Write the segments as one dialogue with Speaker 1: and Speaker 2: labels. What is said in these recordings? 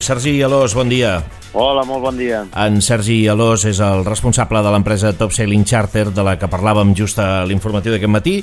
Speaker 1: Sergi Alòs, bon dia.
Speaker 2: Hola, molt bon dia.
Speaker 1: En Sergi Alòs és el responsable de l'empresa Top Sailing Charter, de la que parlàvem just a l'informatiu d'aquest matí,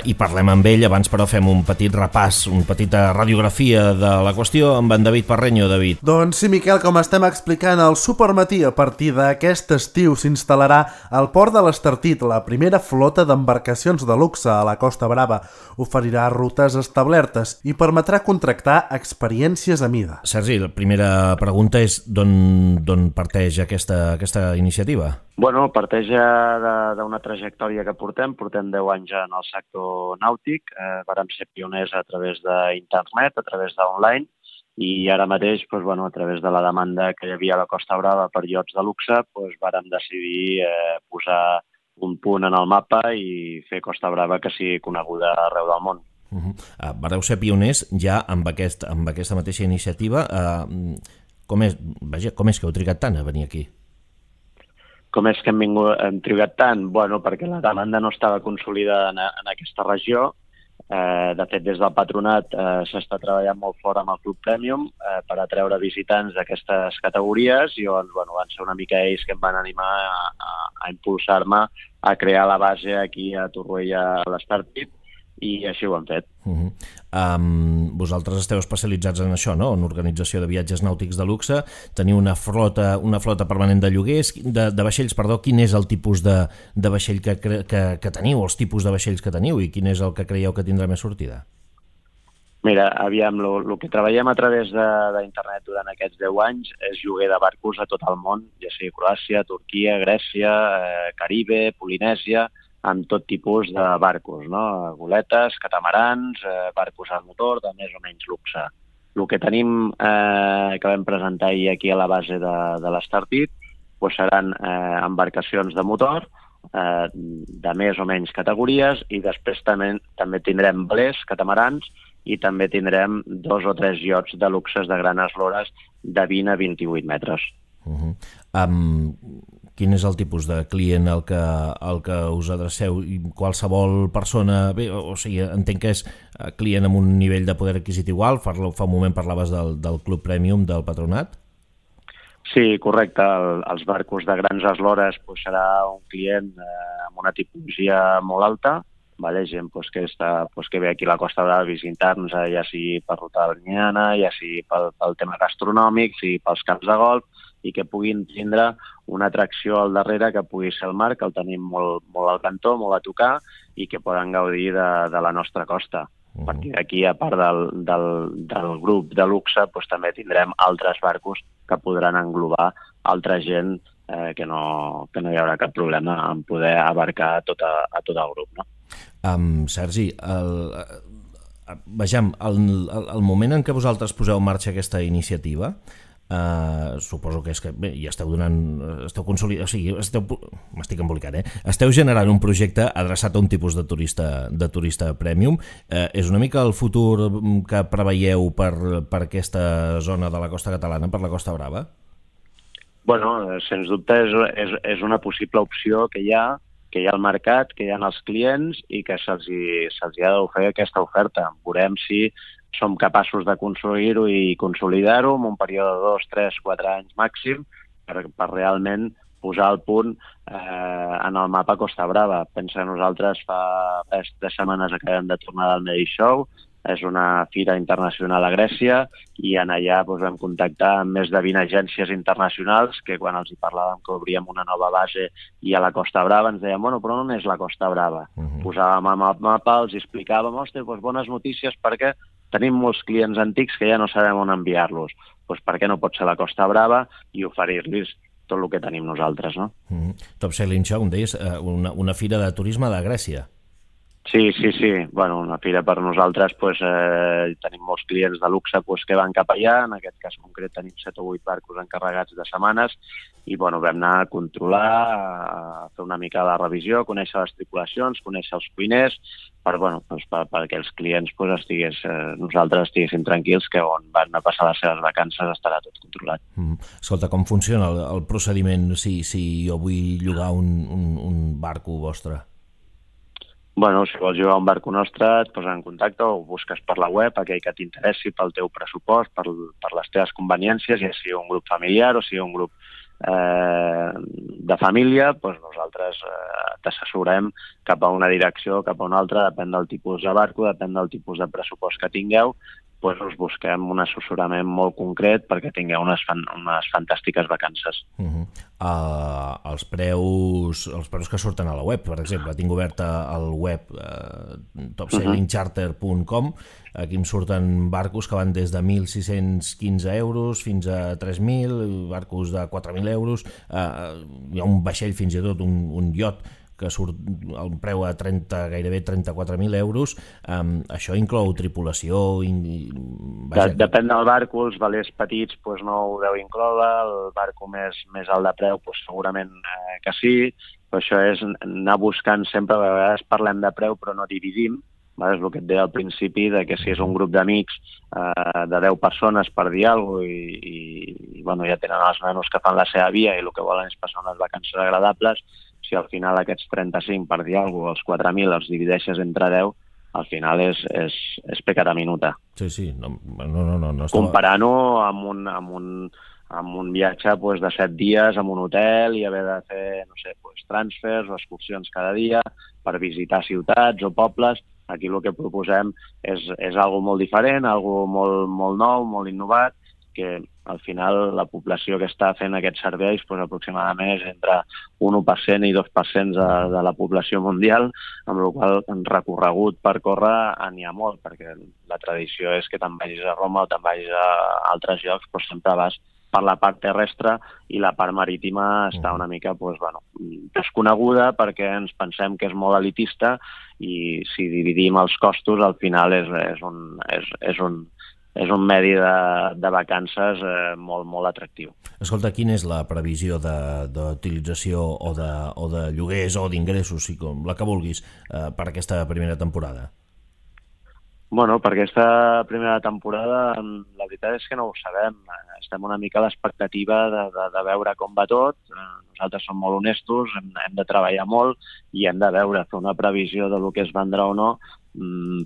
Speaker 1: i parlem amb ell. Abans, però, fem un petit repàs, una petita radiografia de la qüestió amb en David Parreño. David.
Speaker 3: Doncs sí, Miquel, com estem explicant, el Supermatí a partir d'aquest estiu s'instal·larà al port de l'Estartit, la primera flota d'embarcacions de luxe a la Costa Brava. Oferirà rutes establertes i permetrà contractar experiències a mida.
Speaker 1: Sergi, la primera pregunta és d'on parteix aquesta iniciativa?
Speaker 2: Bueno, parteix d'una trajectòria que portem 10 anys en el sector nàutic, vàrem ser pioners a través d'internet, a través d'online, i ara mateix, a través de la demanda que hi havia a la Costa Brava per iots de luxe, vàrem decidir posar un punt en el mapa i fer Costa Brava que sigui coneguda arreu del món.
Speaker 1: Vareu ser pioners ja amb aquesta mateixa iniciativa. Com és que heu trigat tant a venir aquí?
Speaker 2: Com és que hem trigat tant? Bueno, perquè la demanda no estava consolidada en aquesta regió. De fet, des del patronat s'està treballant molt fort amb el Club Premium per atreure visitants d'aquestes categories i van ser una mica ells que em van animar a impulsar-me a crear la base aquí a Torroella a l'Estartit, i així ho hem fet.
Speaker 1: Vosaltres esteu especialitzats en això, no? En organització de viatges nàutics de luxe. Teniu una flota permanent de lloguers, de vaixells, perdó. Quin és el tipus de vaixell que teniu, els tipus de vaixells que teniu, i quin és el que creieu que tindrà més sortida?
Speaker 2: Mira, aviam, el que treballem a través d'internet durant aquests 10 anys és lloguer de barcos a tot el món, ja sigui Croàcia, Turquia, Grècia, Caribe, Polinèsia, amb tot tipus de barcos, no? Goletes, catamarans, barcos a motor de més o menys luxe. El que tenim, que vam presentar ahir aquí a la base de l'Estartit, seran embarcacions de motor de més o menys categories, i després també tindrem velers, catamarans, i també tindrem 2 o 3 iots de luxes de grans eslores de 20 a 28 metres.
Speaker 1: Quin és el tipus de client al que us adreceu? Qualsevol persona... Bé, o sigui, entenc que és client amb un nivell de poder adquisitiu alt. Fa un moment parlaves del Club Premium del patronat.
Speaker 2: Sí, correcte. Els barcos de grans eslores serà un client amb una tipologia molt alta, gent que ve aquí a la Costa Brava a visitar-nos, ja sigui per ruta balneana, ja sigui pel tema gastronòmic, sigui pels camps de golf, i que puguin tindre una atracció al darrere que pugui ser el mar, que el tenim molt al cantó, molt a tocar, i que poden gaudir de la nostra costa. Perquè aquí, a part del grup de luxe, també tindrem altres barcos que podran englobar altra gent, que no hi haurà cap problema en poder abarcar a tot el grup, no?
Speaker 1: Sergi, vejam, el moment en què vosaltres poseu en marxa aquesta iniciativa, suposo que és que ja esteu consolidant, o sigui, m'estic embolicant, esteu generant un projecte adreçat a un tipus de turista premium. És una mica el futur que preveieu per aquesta zona de la costa catalana, per la Costa Brava?
Speaker 2: Bueno, sens dubte és una possible opció que hi ha al mercat, que hi ha els clients, i que se'ls ha d'oferir aquesta oferta. Veurem si som capaços d'aconseguir-ho i consolidar-ho en un període de 2, 3, 4 anys màxim per realment posar el punt en el mapa Costa Brava. Pensa, nosaltres fa 3 setmanes acabem de tornar del Medi Show, és una fira internacional a Grècia, i en allà vam contactar amb més de 20 agències internacionals que quan els hi parlàvem que obríem una nova base i a la Costa Brava ens deien, però on és la Costa Brava? Posàvem el mapa, els explicàvem, bones notícies perquè tenim molts clients antics que ja no sabem on enviar-los. Per què no pot ser la Costa Brava i oferir-los tot el que tenim nosaltres, no?
Speaker 1: Top Sailing Show, em deies, una fira de turisme de Grècia.
Speaker 2: Sí. Una fira per nosaltres, tenim molts clients de luxe que van cap allà. En aquest cas concret tenim 7 o 8 barcos encarregats de setmanes i vam anar a controlar, a fer una mica la revisió, conèixer les tripulacions, conèixer els cuiners, perquè els clients nosaltres estiguéssim tranquils que on van a passar les seves vacances estarà tot controlat.
Speaker 1: Escolta, com funciona el procediment si jo vull llogar un barco vostre?
Speaker 2: Bueno, si vols jugar a un barco nostre, et poses en contacte o busques per la web aquell que t'interessi pel teu pressupost, per les teves conveniències, ja sigui un grup familiar o sigui un grup de família, doncs nosaltres t'assessorem cap a una direcció o cap a una altra, depèn del tipus de barco, depèn del tipus de pressupost que tingueu, doncs us busquem un assessorament molt concret perquè tingueu unes fantàstiques vacances.
Speaker 1: Els preus que surten a la web, per exemple, tinc oberta el web topsailingcharter.com, aquí em surten barcos que van des de 1.615 euros fins a 3.000, barcos de 4.000 euros, hi ha un vaixell fins i tot, un iot, que surt el preu a gairebé 34.000 euros. Això inclou tripulació?
Speaker 2: Depèn del barco, els velers petits doncs no ho deu incloure, el barco més alt de preu doncs segurament que sí, però això és anar buscant sempre, a vegades parlem de preu però no dividim, és el que et deia al principi, de que si és un grup d'amics de 10 persones per dir alguna cosa i ja tenen els nanos que fan la seva via i el que volen és passar unes vacances agradables, si al final aquests 35 per dir alguna cosa, els 4.000 els divideixes entre 10, al final és pecata minuta.
Speaker 1: Sí, no.
Speaker 2: Comparant-ho amb un viatge de 7 dies en un hotel i haver de fer, transfers o excursions cada dia per visitar ciutats o pobles, aquí el que proposem és algo molt diferent, algo molt nou, molt innovat, que al final la població que està fent aquests serveis aproximadament és entre 1% i 2% de la població mundial, amb la qual cosa recorregut per córrer n'hi ha molt, perquè la tradició és que te'n vagis a Roma o te'n vagis a altres llocs, però sempre vas per la part terrestre i la part marítima està una mica desconeguda perquè ens pensem que és molt elitista i si dividim els costos al final és un medi de vacances molt atractiu.
Speaker 1: Escolta, quina és la previsió d'utilització o de lloguers o d'ingressos, com la que vulguis, per aquesta primera temporada?
Speaker 2: Per aquesta primera temporada la veritat és que no ho sabem. Estem una mica a l'expectativa de veure com va tot. Nosaltres som molt honestos, hem de treballar molt i hem de veure, fer una previsió de lo que es vendrà o no.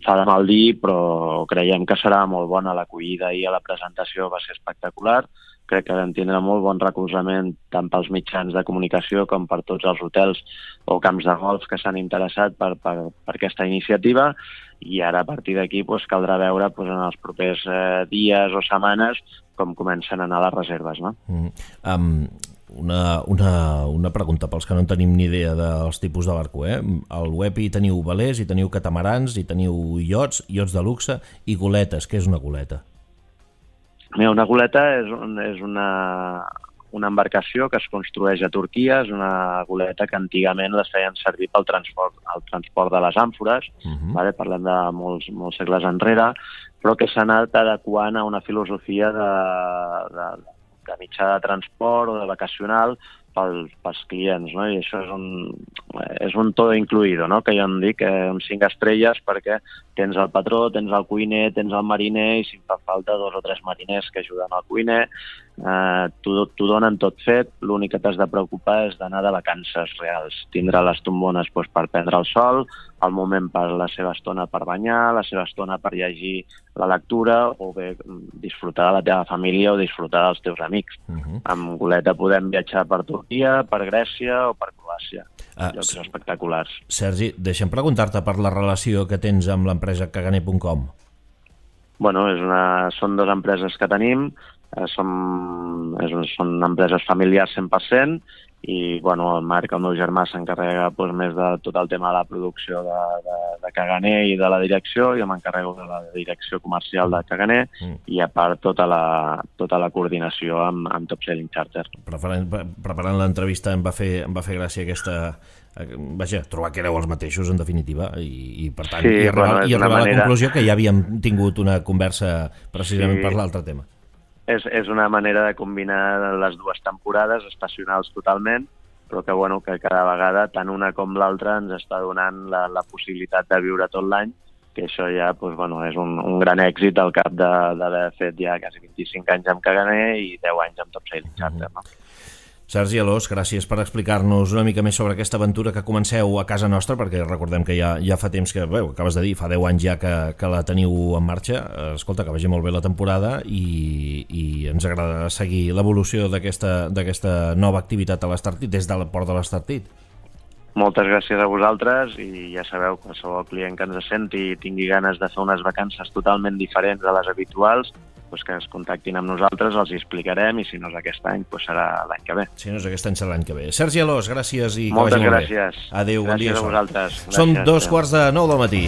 Speaker 2: Fa de mal dir, però creiem que serà molt bona. L'acollida i la presentació va ser espectacular. Crec que vam tindre molt bon recolzament tant pels mitjans de comunicació com per tots els hotels o camps de golf que s'han interessat per aquesta iniciativa i ara a partir d'aquí caldrà veure en els propers dies o setmanes com comencen a anar les reserves. No?
Speaker 1: Una pregunta pels que no en tenim ni idea dels tipus de barco. Al web hi teniu velers, hi teniu catamarans, hi teniu iots de luxe i goletes. Què és una goleta?
Speaker 2: Una goleta és una embarcació que es construeix a Turquia, és una goleta que antigament les feien servir pel transport de les àmfores, parlem de molts segles enrere, però que s'ha anat adequant a una filosofia de mitjà de transport o de vacacional pels clients, no? I això és un todo incluido, no? Que jo em dic, uns 5 estrelles perquè tens el patró, tens el cuiner, tens el mariner i si fa falta 2 o 3 mariners que ajuden al cuiner, t'ho donen tot fet, l'únic que t'has de preocupar és d'anar de vacances reals, tindre les tombones per prendre el sol, el moment per la seva estona per banyar, la seva estona per llegir la lectura o bé disfrutar de la teva família o disfrutar dels teus amics. Amb goleta podem viatjar per Turquia, per Grècia o per Croàcia. Llocs espectaculars.
Speaker 1: Sergi, deixa'm preguntar-te per la relació que tens amb l'empresa Kaganer.com.
Speaker 2: Són 2 empreses que tenim, són empreses familiars 100% i el Marc, el meu germà, s'encarrega més de tot el tema de la producció de Kaganer i de la direcció, jo m'encarrego de la direcció comercial de Kaganer i a part tota la coordinació amb Top Sailing Charter.
Speaker 1: Preparant l'entrevista em va fer gràcia aquesta... trobar que éreu els mateixos, en definitiva, i per tant, arribar a la conclusió que ja havíem tingut una conversa precisament per l'altre tema.
Speaker 2: És una manera de combinar les 2 temporades estacionals totalment, però que cada vegada tant una com l'altra ens està donant la possibilitat de viure tot l'any, que això ja és un gran èxit al cap d'haver fet ja quasi 25 anys amb Kaganer i 10 anys amb Top Sailing Charter. No?
Speaker 1: Sergi Alòs, gràcies per explicar-nos una mica més sobre aquesta aventura que comenceu a casa nostra, perquè recordem que ja fa temps que, acabes de dir, fa 10 anys ja que la teniu en marxa. Escolta, que vagi molt bé la temporada i ens agrada seguir l'evolució d'aquesta nova activitat a l'Estartit, des del port de l'Estartit.
Speaker 2: Moltes gràcies a vosaltres i ja sabeu, qualsevol client que ens senti i tingui ganes de fer unes vacances totalment diferents de les habituals, que ens contactin amb nosaltres, els hi explicarem i si no és aquest any, serà l'any que ve.
Speaker 1: Si no és aquest any, serà l'any que ve. Sergi Alòs, gràcies i
Speaker 2: moltes
Speaker 1: que vagi molt
Speaker 2: gràcies.
Speaker 1: bé. Adéu, bon dia.
Speaker 2: Gràcies a vosaltres.
Speaker 1: Són 2:45 del matí.